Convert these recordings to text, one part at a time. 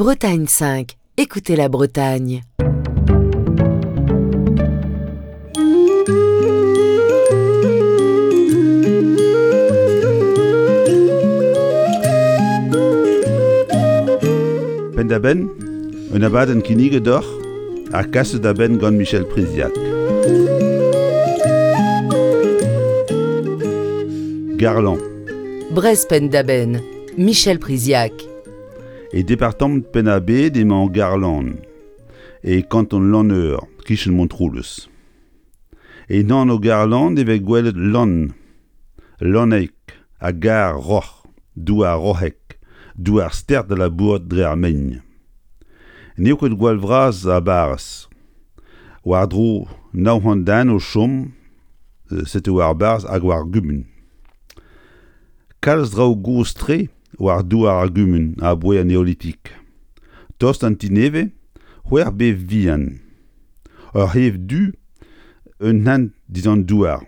Bretagne 5, écoutez la Bretagne. Penn-da-benn, un abadenn kinniget deoc'h ha kaset da benn gant Michel Priziac. Garlan. Brest penn-da-benn, Michel Priziac. E departamant Penn-ar-Bed emañ Garlan, e kanton Lanneur, kichen Montroulez. En anv Garlan e vez gwelet lann, lanneg ha gar roc'h, douar roc'hek, douar stert da labourat dre ar mein. N'eo ket gwall vras ar barrez. War-dro 900 den o chom, setu war barzh hag war gumun. Kalz draoù gozh-tre war douar ar gumun aboae an Neolitik. Tost an ti nevez, c'hwec'h bev vihan. Ur c'hev du, un hent dindan douar.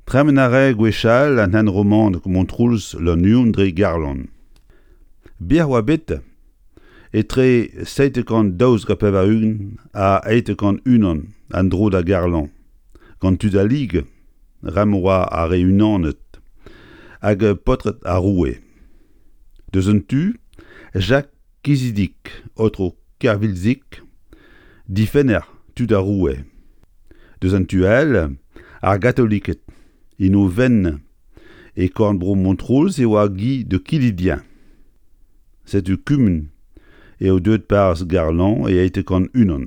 Tremen a rae gwechall an hent romanek Montroulez-Lannuon dre Garlan. Bec'h oa bet etre 792 ha 701 an dro da Garlan, gant tud al Ligue. Rem oa ar re unanet hag paotred ar roue. Deus un tu, Jacques Kizidig, aotrou Kervilzig, difenner tud ar roue. Deus an tu all, ar gatoliked, en o fenn e korn-bro Montroulez e oa Guy de Quilidien. Setu kumun eo deuet parrez Garlan e 801.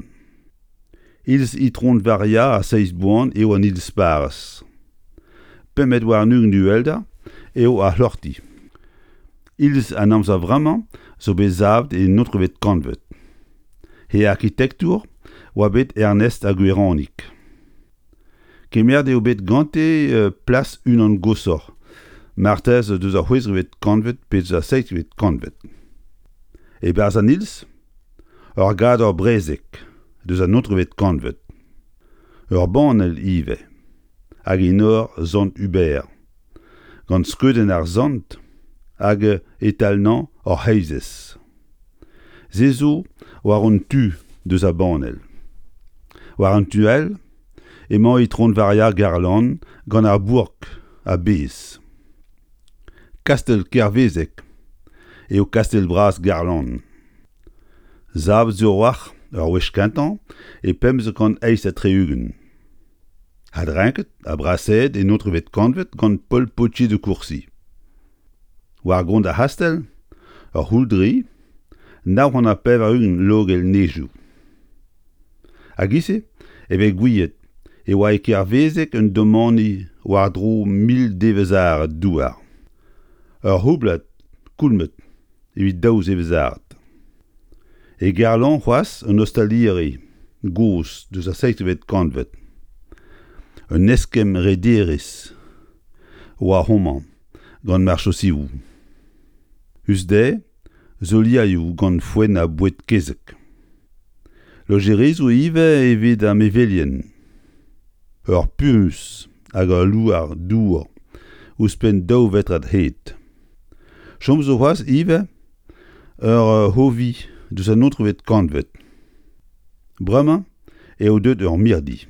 Iliz Itron Varia ar Seizh Boan eo an iliz parrez. Pempvet warn-ugent uhelder eo ar c'hloc'hdi. Iliz an amzer vremañ zo bet savet en naontekvet kantved. He arkitektour oa bet Ernest ar Gweranig. Kemeret eo bet gante plas unan goshoc'h, marteze deus ar c'hwezekvet kantved pe deus ar seizhvet kantved. E-barzh an iliz, ur gador brezeg deus an naontekvet kantved. Ur banell ivez, hag enor sant Hubert, gant skeudenn ar sant hag e-talnañ hor c'heizez. Se zo war un tu deus ar banell. War an tu all emañ Itron Varia Garlan gant ar bourk a-bezh. Kastell Kervezeg eo kastell bras Garlan. Savet zo a-walc'h ur wech kentañ e 1568. Adrenket ha brasaet en naontekvet kantved gant Paul Potier de Courcy. War gont ar c'hastell, ur c'houldri, 980 logell nejoù. A-giz-se e vez gouiet e oa e Kervezeg un domani war-dro 1000 devezh-arat douar. Ur c'houblad koulmed evit daou zevezh-arat. E Garlan c'hoazh un ostaliri gozh deus ar seizhvet kantved. Un eskemm rederezh oa homañ gant marchosioù. 'Us dezhe soliaioù gant foenn ha boued kezeg. Lojerizoù ivez evit ar mevelien. Ur puñs hag ul louar dour ouzhpenn daou vetrad hed. Chom zo c'hoazh ivez ur c'hovi deus an naontekvet kantved. Bremañ eo deuet ur mirdi.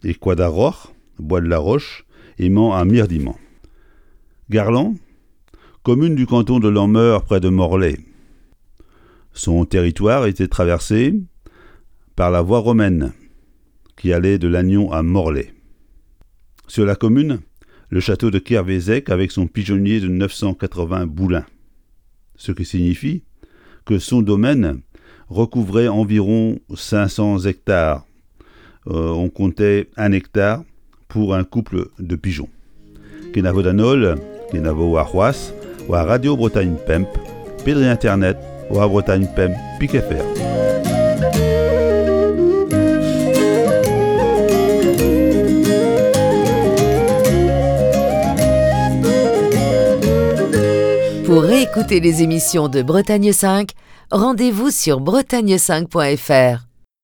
E Koad ar Roc'h, Bois de la Roche, emañ ar mirdi-mañ. Garlan, commune du canton de Lanmeur près de Morlaix. Son territoire était traversé par la voie romaine qui allait de Lannion à Morlaix. Sur la commune, le château de Kervezec avec son pigeonnier de 980 boulins, ce qui signifie que son domaine recouvrait environ 500 hectares. Euh, on comptait un hectare pour un couple de pigeons. Kenavo d'an holl, kenavo warc'hoazh, war Radio Bretagne Pemp, pe dre internet war Bretagne Pemp pik FR. Pour réécouter les émissions de Bretagne 5, rendez-vous sur bretagne5.fr.